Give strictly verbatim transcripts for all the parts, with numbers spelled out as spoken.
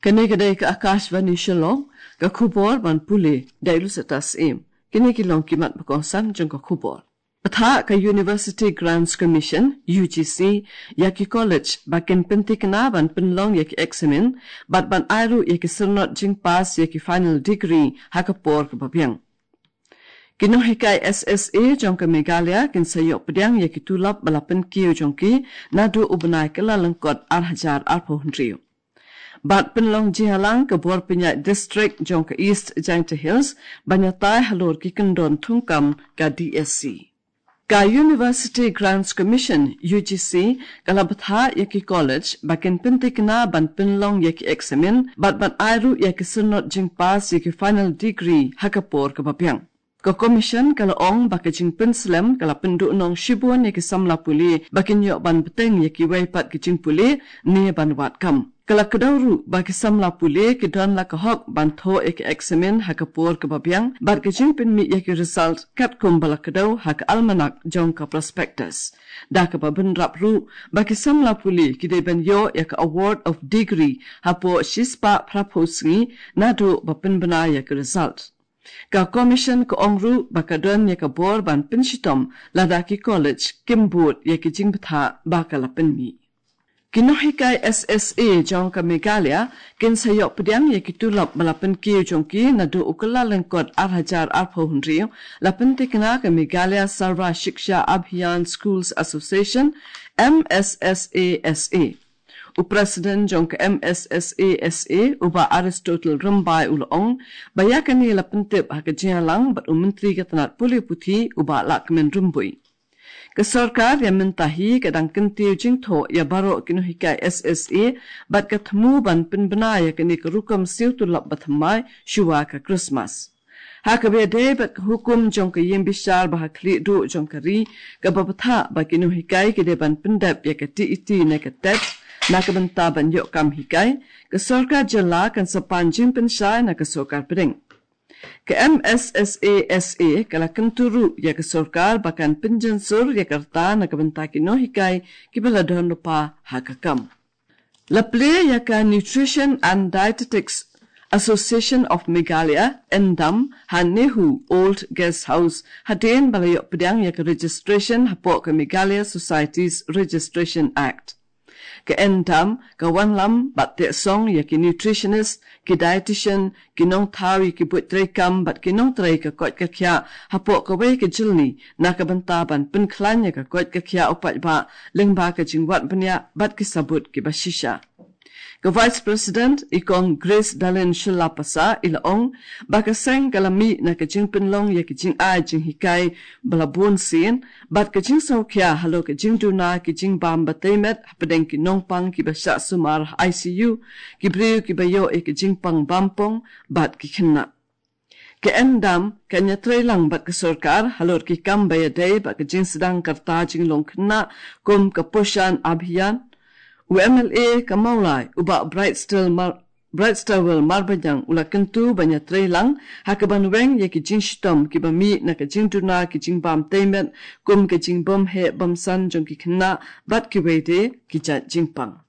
Kane ka dei ka Akashvani Shillong, ka khubor ban pule da i Lucetta Syiem. Kine ki long ki mat ba kongsan jong ka khubor. Pathah ka University Grants Commission, U G C, ïa ki college ba kin pynthikna ban pynlong ïa ki eksamin bad ban ai ruh ïa ki syrnod jingpass ïa ki final degree ha ka por kaba biang. Ki nonghikai S S A jong ka Meghalaya kin sa ïoh pdiang ïa ki tulop ba la pynkiew jong ki naduh u bnai Kyllalyngkot ar hajar arphew hynriew. Bad pynlong jingïalang ka bor pynïaid district jong ka East Jaintia Hills ban ïatai halor ki kyndon thungkam ka D S C. Ka University Grants Commission, U G C, ka la bthah ïa ki college ba kin pynthikna ban pynlong ïa ki eksamin bad ban ai ruh ïa ki syrnod jingpass ïa ki final degree ha ka por kaba biang. Ka Commission ka la ong ba ka jingpynslem ka la pynduhnong shibun ïa ki samla pule ba kin ïoh ban bteng ïa kiwei pat ki jingpule ne ban wad kam. Ka la kdew ruh ba ki samla pule ki don la ka hok ban thoh ïa ki eksamin ha ka por kaba biang bad ka jingpynmih ïa ki result katkum ba la kdew ha ka almanak jong ka prospectus. Da kaba bynrap ruh ba ki samla pule ki dei ban ïoh ïa ka award of degree hapoh shispah phraphew sngi naduh ba pynbna ïa ki result. Ka Commission ka ong ruh ba ka don ïa ka bor ban pynshitom lada ki college kim bud ïa ki jingbthah ba ka la pynmih. Ki nonghikai S S A jong ka Meghalaya kin sa ïoh pdiang ïa ki tulop ba la pynkiew jong ki naduh u Kyllalyngkot ar hajar arphew hynriew, la pynthikna ka Meghalaya Sarva Shiksha Abhiyan Schools Association, M S S A S A. U President jong ka M S S A S A, u Bah Aristotle Rymbai, u la ong ba ïa kane la pyntip ha ka jingïalang bad u Myntri ka tnat pule puthi, u Bah Lahkmen Rymbui. Ka sorkar ïa mynta hi ka dang kyntiew jingthoh ïa baroh ki nonghikai S S A bad ka thmu ban pynbna ïa kane ka rukom siew tulop ba thymmai shuwa ka Christmas. Ha kaba ïadei bad ka hukum jong ka ïingbishar ba ha khlieh duh jong ka ri, kaba bthah ba ki nonghikai ki dei ban pyndep ïa ka T E T ne ka TET na ka bynta ban ïoh kam hikai, ka sorkar jylla kan sa pan jingpynshai na ka sorkar pdeng. Ka M S S A S A ka la kyntu ruh ïa ka sorkar ba kan pynjynsur ïa ka rta na ka bynta ki nonghikai kiba la don lypa ha ka kam. La plie ïa ka Nutrition and Dietetics Association of Meghalaya, NDAM, ha NEHU Old Guest House, hadien ba la ïoh pdiang ïa ka registration hapoh ka Meghalaya Societies Registration Act. Ka NDAM ka wanlam bad teh song ïa ki nutritionist, ki dietitian, ki nongthaw ïa ki buit treikam bad ki nongtrei ka koit ka khiah hapoh kawei ka jylli na ka bynta ban pynkhlaiñ ïa ka koit ka khiah u paidbah lyngba ka jingwad bniah bad ki sabut kiba shisha. Ka Vice President, i Kong Grace Dalin Shylla Passah, i la ong ba ka seng ka la mih na ka jingpynlong ïa ka jingai jinghikai ba la bun sien bad ka jingsngewkhia halor ka jingduna ki jingbam ba tei met hapdeng ki nongpang kiba shah sumar ha I C U, ki briew kiba ïoh ïa ka jingpang bampong bad ki khynnah. Ka NDAM kan ïatreilang bad ka sorkar halor ki kam ba ïadei bad ka jingsdang ka rta jinglong khynnah kum ka Poshan Abhiyan. U M L A ka Mawlai, u Bah Brightstarwell Mar-, Brightstarwell Marbaniang, u la kyntu ban ïatreilang ha kaban weng ïa ki jingshitom kiba mih na ka jingduna ki jingbam tei met kum ka jingbymheh bymsan jong ki khynnah bad kiwei de ki jait jingpang.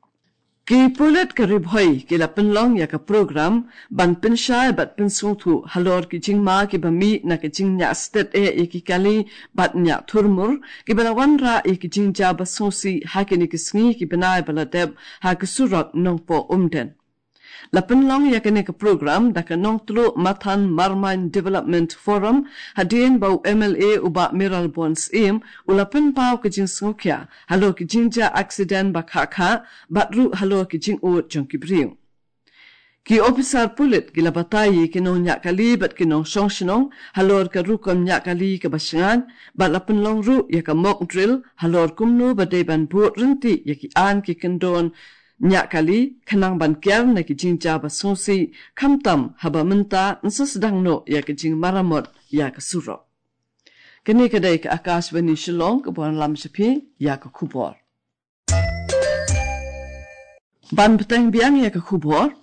Ki pulit ka Ri Bhoi ki la pynlong ïa ka program ban pynshai bad pynsngewthuh halor ki jingma kiba mih na ka jingñiah stet eh ïa ki kali bad ñiah thurmur, kiba la wanrah ïa ki jingjia ba sngewsih ha kine ki sngi ki bnai ba la dep ha ka surok Nongpoh Umden. La pynlong ïa kane ka program da ka Nongtluh Mathan Marmain Development Forum, hadien ba u M L A u Bah Mayralborn Syiem u la pynpaw ka jingsngewkhia halor ki jingjia accident ba khah khah bad ruh halor ki jingud jong ki briew. Ki ophisar pulit ki la batai ïa ki nongñiah kali bad ki nongshong shnong halor ka rukom ñiah kali kaba shngaiñ bad la pynlong ruh ïa ka mock drill halor kumno ba dei ban bud ryntih ïa ki aiñ ki kyndon ñiah kali khnang ban kiar na ki jingjia ba sngewsih, khamtam haba mynta yn sa sdang noh ïa ka jingmaramot ïa ka surok. Kane ka dei ka Akashvani Shillong kaba wanlam sha phi ïa ka khubor. Ban bteng biang ïa ka khubor,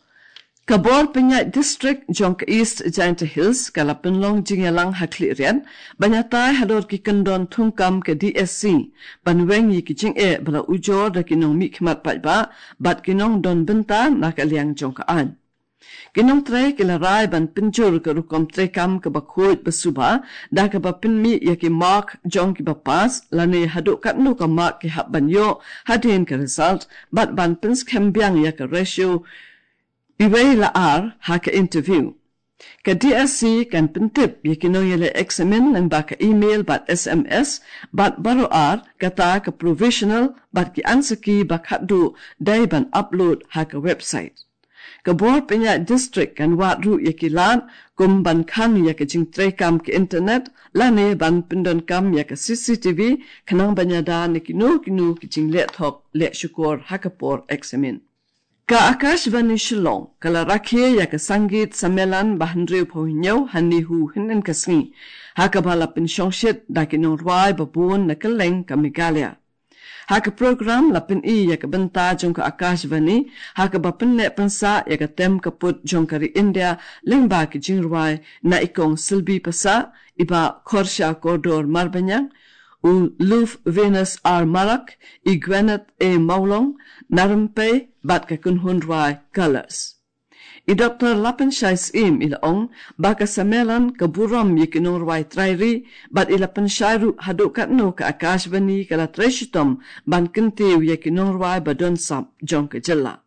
ka bor pynïaid district jong ka East Jaintia Hills ka la pynlong jingïalang ha Khliehriat ban ïatai halor ki kyndon thungkam ka D S C ban weng ïa ki jingeh ba la ujor da ki nongmihkhmat paidbah bad ki nongdon bynta na ka liang jong ka aiñ. Ki nongtrei ki la rai ban pynjur ka rukom treikam kaba khuid ba suba, da kaba pynmih ïa ki mark jong kiba pass, lane haduh katno ka mark ki hap ban ïoh hadien ka result, bad ban pynskhem biang ïa ka ratio iwei la ar ha ka interview. Ka D S C kan pyntip ïa ki nongïaleh eksamin lyngba ka email bad S M S, bad baroh ar, kata ka provisional bad ki answer key ba khatduh dei ban upload ha ka website. Ka bor pynïaid district kan wad ruh ïa ki lad kum ban khang ïa ka jingtreikam ka internet, lane ban pyndonkam ïa ka C C T V, khnang ban ïada na kino kino ki jingleh thok leh shukor ha ka por eksamin. Ka Akashvani Shillong ka la rakhe ïa ka Sangeet Sammelan ba hynriewphew hynñiew ha NEHU hynnin ka sngi, ha kaba la pynshongshit da ki nongrwai ba bun na kylleng ka Meghalaya. Ha ka program la pyni ïa ka bynta jong ka Akashvani, ha kaba pynneh pynsah ïa ka tem ka put jong ka ri India lyngba ki jingrwai na i Kong Silbi Passah, i Bah Khorsha Kordor Marbaniang, u Luf Venus R Marak, i Gwyneth A Mawlong, na rympei bad ka kynhun rwai Colours. I Doktor Lapanshai Syiem i la ong ba ka sammelan ka burom ïa ki nongrwai trai ri, bad i la pynshai ruh haduh katno ka Akashvani ka la trei shitom ban kyntiew ïa ki nongrwai ba don sap jong ka jylla.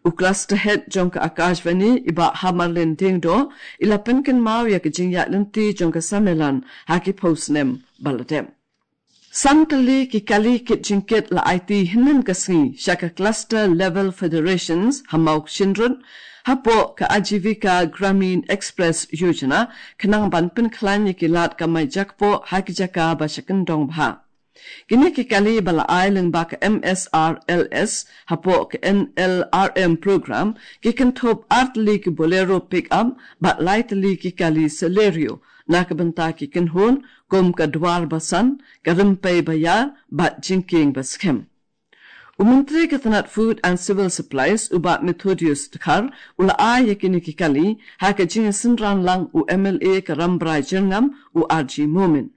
U Cluster Head jong ka Akashvani, i Bah Hamarlin Diengdoh, i la pynkynmaw ïa ka jingïaid lynti jong ka sammelan ha ki phew snem ba la dep. San tylli ki kali kit jingkit la aiti hynnin ka sngi sha ka Cluster Level Federations ha Mawkshynrut, hapoh ka Ajivika Gramin Express Yojana, khnang ban pynkhlaiñ ïa ki lad kamai jakpoh ha ki jaka ba sha kyndong bha. Kine ki kali ba la ai lyngba ka M S R L S hapoh ka N L R M program, ki kynthup ar tylli ki Bolero pickup bad lai tylli ki kali Celerio, na ka bynta ki kynhun kum ka Dwar Basan, ka Rympei Baïar bad Jingkieng Baskhem. U Myntri ka tnat Food and Civil Supplies, u Bah Methodius Dkhar, u la ai ïa kine ki kali ha ka jingsynran lang u M L A ka Rambrai Jyrngam, u R G Momin.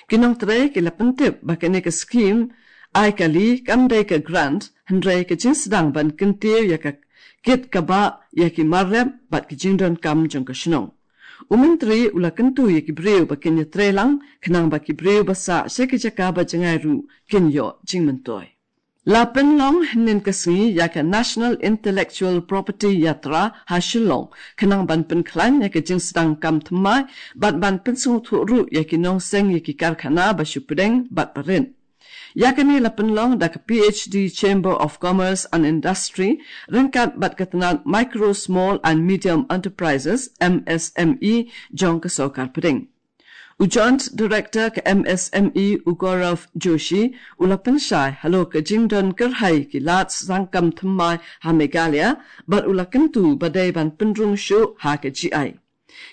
Ki nongtrei ki la pyntip ba kane ka skhim ai kali kam dei ka grant, hynrei ka jingsdang ban kyntiew ïa ka kit kaba ïa ki mar rep bad ki jingdonkam jong ka shnong. U Myntri u la kyntu ïa ki briew ba kin ïatrei lang, khnang ba ki briew ba sah sha ki jaka ba jngai ruh kin ïoh jingmyntoi. La pynlong hynnin ka sngi ïa ka National Intellectual Property Yatra ha Shillong, khnang ban pynkhlaiñ ïa ka jingsdang kam thymmai, bad ban pynsngewthuh ruh ïa ki nongseng ïa ki karkhana ba shu pdeng bad ba rit. Ïa kane la pynlong da ka P H D Chamber of Commerce and Industry, ryngkat bad ka tnat Micro, Small and Medium Enterprises, M S M E, jong ka sorkar pdeng. U Joint Director ka M S M E, u Gaurav Joshi, u la pynshai halor ka jingdon kyrhai ki lad sdang kam thymmai ha Meghalaya, bad u la kyntu ba dei ban pynrung shuh ha ka G I.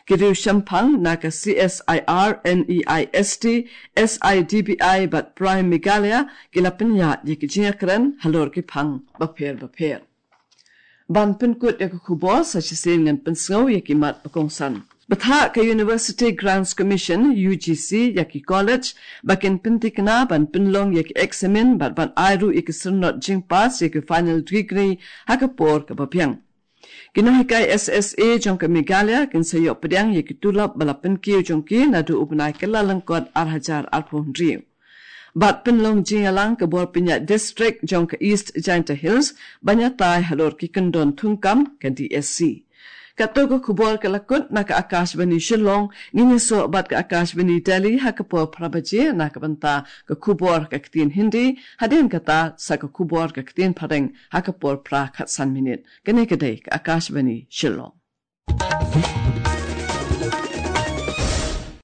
Ki riew shemphang na ka C S I R, N E I S T, S I D B I bad Prime Meghalaya ki la pynïaid ïa ki jingïakren halor ki phang bapher bapher. Ban pynkut ïa ka khubor, sa shisien ngan pynsngew ïa ki mat ba kongsan. Bthah ka University Grants Commission, U G C, ïa ki college ba kin pynthikna ban pynlong ïa ki eksamin bad ban ai ruh ïa ki syrnod jingpass ïa ki final degree ha ka por kaba biang. Ki nonghikai S S A jong ka Meghalaya kin sa ïoh pdiang ïa ki tulop ba la pynkiew jong ki naduh u bnai Kyllalyngkot ar hajar arphew hynriew. Bad pynlong jingïalang ka bor pynïaid district jong ka East Jaintia Hills ban ïatai halor ki kyndon thungkam, ka D S C. Kato ka khubor ka la kut na ka Akashvani Shillong. Ngin ïasoh bad ka Akashvani Delhi ha ka por phra baje na ka bynta ka khubor ka ktien Hindi, hadien kata sa ka khubor ka ktien Phareng ha ka por phra khatsan minit. Kane ka dei ka Akashvani Shillong.